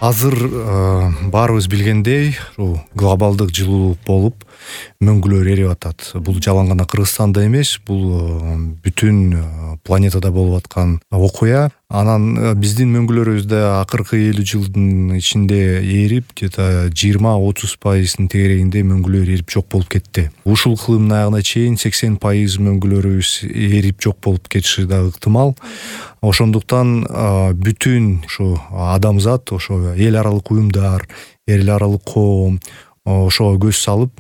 Азыр баарыбыз билгендей, глобалдык жылуулук болуп мөңгүлөр эрип атат. Бул жалаң гана Кыргызстанда эмес, бул бүтүн планетада болуп аткан окуя. Анан биздин мөңгүлөрүбүздө акыркы 50 жылдын ичинде эрип, где-то 20-30% тегерегинде мөңгүлөр эрип жок болуп кетти. Ушул кылымдын аягына чейин 80% мөңгүлөрүбүз эрип жок болуп кетиши да ыктымал. Ошондуктан бүтүн ушу адамзат, ошо эл аралык уюмдар, эл аралык коом ошого көз салып,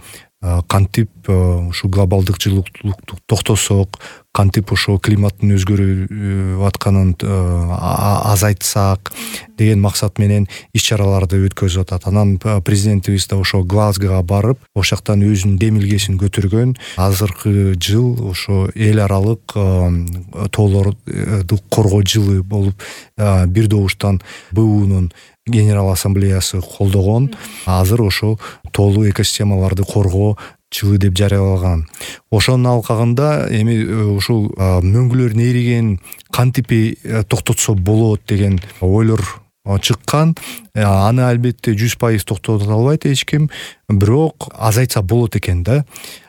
кантип ушу глобалдык жылуулукту токтосок, кантип ошо климаттын өзгөрүп атканын азайтсак деген максат менен иш-чараларды өткөзүп атат. Анан президентибиз да ошо Глазгога барып, ошол жактан өзүнүн демилгесин көтөргөн. Азыркы жыл ошо эл аралык тоолорду коргоо жылы болуп, бир добуштан БУнун Генерал ассамблеясы колдогон. Азыр ошо тоолуу экосистемаларды коргоо жылы деп жарыялаган. Ошонун алкагында эми ушул мөңгүлөрдүн эригенин кантип токтотсо болот деген ойлор чыккан. Аны албетте 100% токтото албайт эч ким, бирок азайтса болот экен да.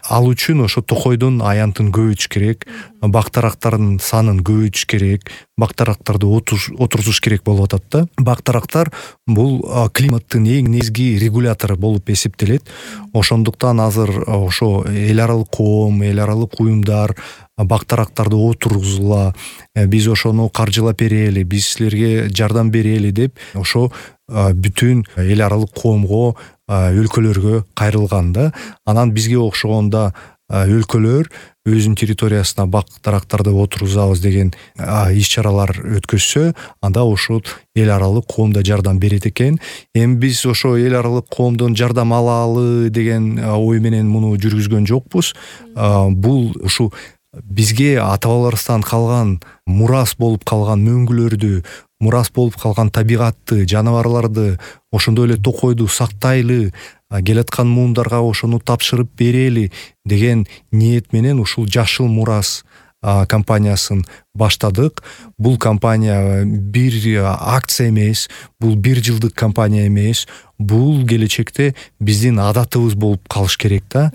Ал үчүн ошо токойдун аянтын көбөйтүш керек, бактарактардын санын көбөйтүш керек, бактарактарды отургузуш керек болуп атат да. Бактарактар бул климаттын эң негизги регулятору болуп эсептелет. Ошондуктан азыр ошо эл аралык коом, эл аралык уюмдар бактарактарды отургузула, биз ошону каржылап берели, биз силерге жардам берели деп ошо бүтүн эл аралык коомго, өлкөлөргө кайрылган да. Анан бизге окшогондо өлкөлөр өзүнүн территориясына бактарактарды отургузабыз деген иш-чаралар өткөзсө, анда ошол эл аралык коом да жардам берет экен. Эми биз ошо эл аралык коомдон жардам алалы деген ой менен муну жүргүзгөн жокпуз. Бул ушу бизге ата-бабаларыбыздан калган мурас болуп калган мөңгүлөрдү, мурас болуп калган табигатты, жаныбарларды, ошондой эле токойду сактайлы, келаткан муундарга ошону тапшырып берели деген ниет менен ушул Жашыл мурас компаниясын баштадык. Бул компания бир акция эмес, бул бир жылдык компания эмес, бул келечекте биздин адатыбыз болуп калыш керек да.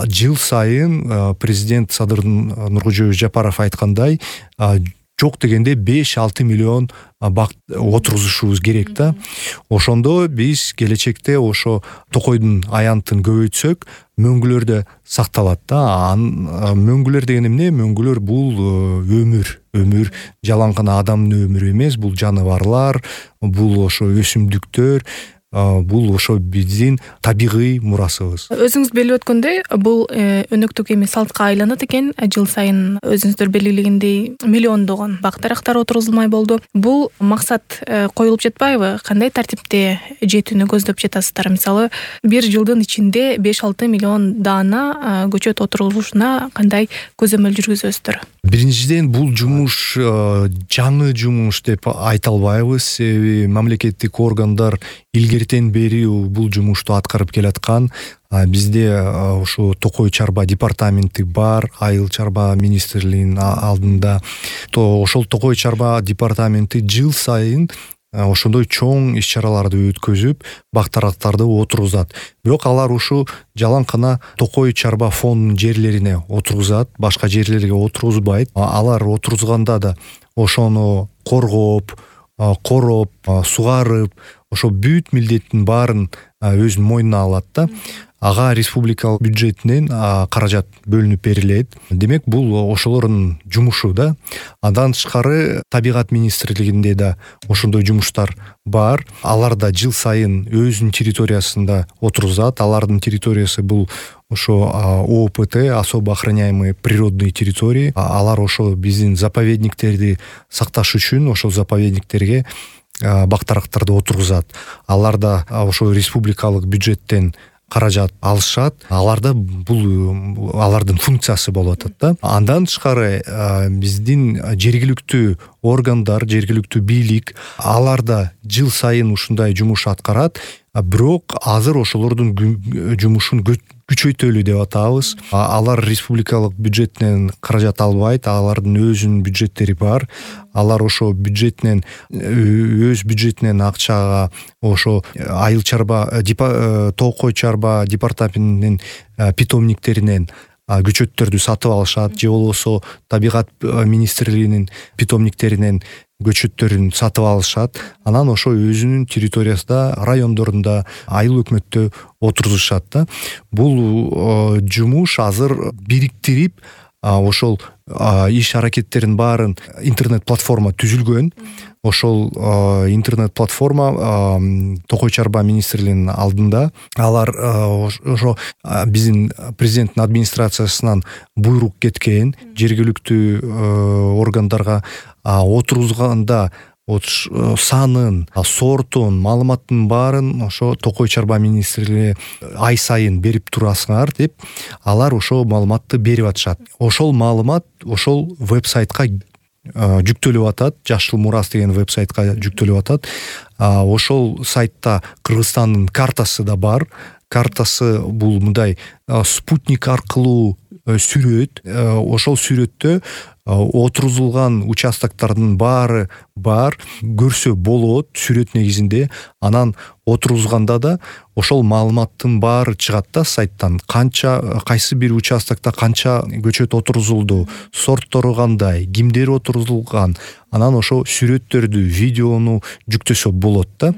Жыл сайын президент Садыр Нуркожоевич Жапаров айткандай, жок дегенде 5-6 миллион бак отургузушубуз керек да. Ошондо биз келечекте ошо токойдун аянтын көбөйтсөк, мөңгүлөр да сакталат да. Мөңгүлөр деген эмне? Мөңгүлөр бул өмүр, жалаң гана адамдын өмүрү эмес, бул жаныбарлар, бул ошо өсүмдүктөр, бул ошо биздин табигый мурасыбыз. Өзүңүз белип өткөндөй, бул өнөктүк эми салтка айланат экен. Жыл сайын өзүңүздөр белгилегендей миллиондогон бактарактар отургузулмай болду. Бул максат коюлуп жатпайбы? Кандай тартипте жетүүнү көздөп жатасыздар? Мисалы, бир жылдын ичинде 5-6 миллион даана көчөт отургузушуна кандай көзөмөл жүргүзөсүздөр? Биринчиден, бул жумуш жаңы жумуш деп айта албайбыз. Себеби мамлекеттик органдар илгертен бери бул жумушту аткарып келаткан. Бизде ушу Токой чарба департаменти бар, Айыл чарба министрлигинин алдында. Ошол Токой чарба департаменти жыл сайын ошондой чоң иш-чараларды өткөзүп, бактарактарды отургузат. Бирок алар ушу жалаң гана Токой чарба фондунун жерлерине отургузат, башка жерлерге отургузбайт. Алар отургузганда да ошону коргоп, короп, сугарып, ошо бүт милдеттин баарын өзүнүн мойнуна алат да. Ага республикалык бюджетинен каражат бөлүнүп берилет. Демек, бул ошолордун жумушу да. Андан тышкары табигат министрлигинде да ошондой жумуштар бар. Алар да жыл сайын өзүнүн территориясында отургузат. Алардын территориясы бул ошо ООПТ, особо охраняемые природные территории. Алар ошо биздин заповедниктерди сакташ үчүн ошол заповедниктерге бактарактарды отургузат. Алар да ошо республикалык бюджеттен каражат алышат. Аларда бул алардын функциясы болуп атат да. Андан тышкары биздин жергиликтүү органдар, жергиликтүү бийлик, алар да жыл сайын ушундай жумуш аткарат. Бирок азыр ошолордун жумушун күчөйтөлү деп атабыз. Алар республикалык бюджеттен каражат албайт, алардын өзүнүн бюджеттери бар. Алар ошо бюджетинен өз бюджетинен акчага ошо айыл чарба тоокой чарба департаментинин питомниктеринен көчөттөрдү сатып алышат, же болбосо табигат министрлигинин питомниктеринен көчөттөрүн сатып алышат. Анан ошо өзүнүн территориясында, райондорунда, айыл өкмөттө отургузушат да. Бул жумуш азыр бириктирип, ошол иш аракеттерин баарын интернет платформа түзүлгөн. Ошол интернет платформа Токой чарба министрлигинин алдында. Алар ошо биздин президенттин администрациясынан буйрук кеткен, жергиликтүү органдарга отургузганда санын, сортун, маалыматтын баарын ошо Токой чарба министрлиги ай сайын берип турасыңар деп, алар ошо маалыматты берип атышат. Ошол маалымат ошол вебсайтка жүктөлүп атат, Жашыл Мурас деген вебсайтка жүктөлүп атат. Ошол сайтта Кыргызстандын картасы да бар. Картасы бул мындай спутник аркылуу сүрөт. Ошол сүрөттө отургузулган участоктордун баары бар, көрсө болот сүрөт негизинде. Анан отургузганда да ошол маалыматтын баары чыгат да сайттан. Кайсы бир участокто канча көчөт отургузулду, сорттору кандай, кимдер отургузулган. Анан ошо сүрөттөрдү, видеону жүктөсө болот да.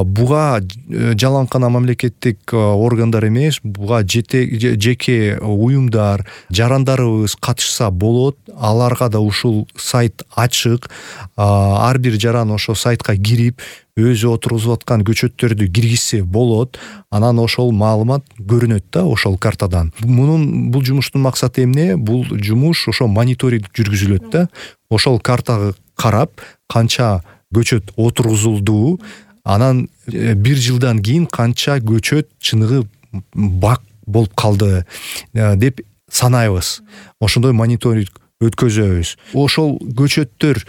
Буга жаланкана мамлекеттик органдар эмес, буга жеке уюмдар, жарандарыбыз катышса болот. Аларга да ушул сайт ачык. Ар бир жаран ошо сайтка кирип, өзү отургузуп аткан көчөттөрдү киргизсе болот. Анан ошол маалымат көрүнөт да ошол картадан. Бул жумуштун максаты эмне? Бул жумуш ошо мониторинг жүргүзүлөт да. Ошол картага карап, канча көчөт отургузулду, анан бир жылдан кийин канча көчөт чыныгы бак болуп калды деп санайбыз. Ошондой мониторинг өткөзөбүз. Ошол көчөттөр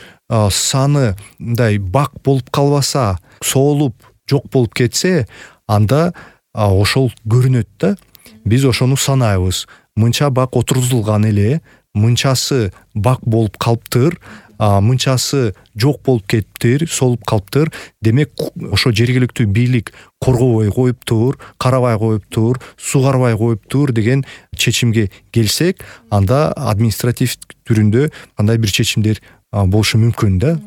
саны мындай бак болуп калбаса, соолуп жок болуп кетсе, анда ошол көрүнөт да. Биз ошону санайбыз. Мынча бак отургузулган эле, мынчасы бак болуп калыптыр, мынчасы жок болуп кетиптир, соолуп калыптыр. Демек, ошо жергиликтүү бийлик коргобой коюптур, карабай коюптур, сугарбай коюптур деген чечимге келсек, анда административ түрүндө кандай бир чечимдер болушу мүмкүн да,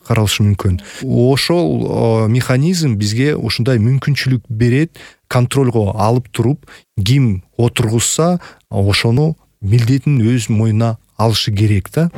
каралышы мүмкүн. Ошол механизм бизге ушундай мүмкүнчүлүк берет, контролго алып туруп, ким отургузса, ошону милдетин өз мойнуна алышы керек да.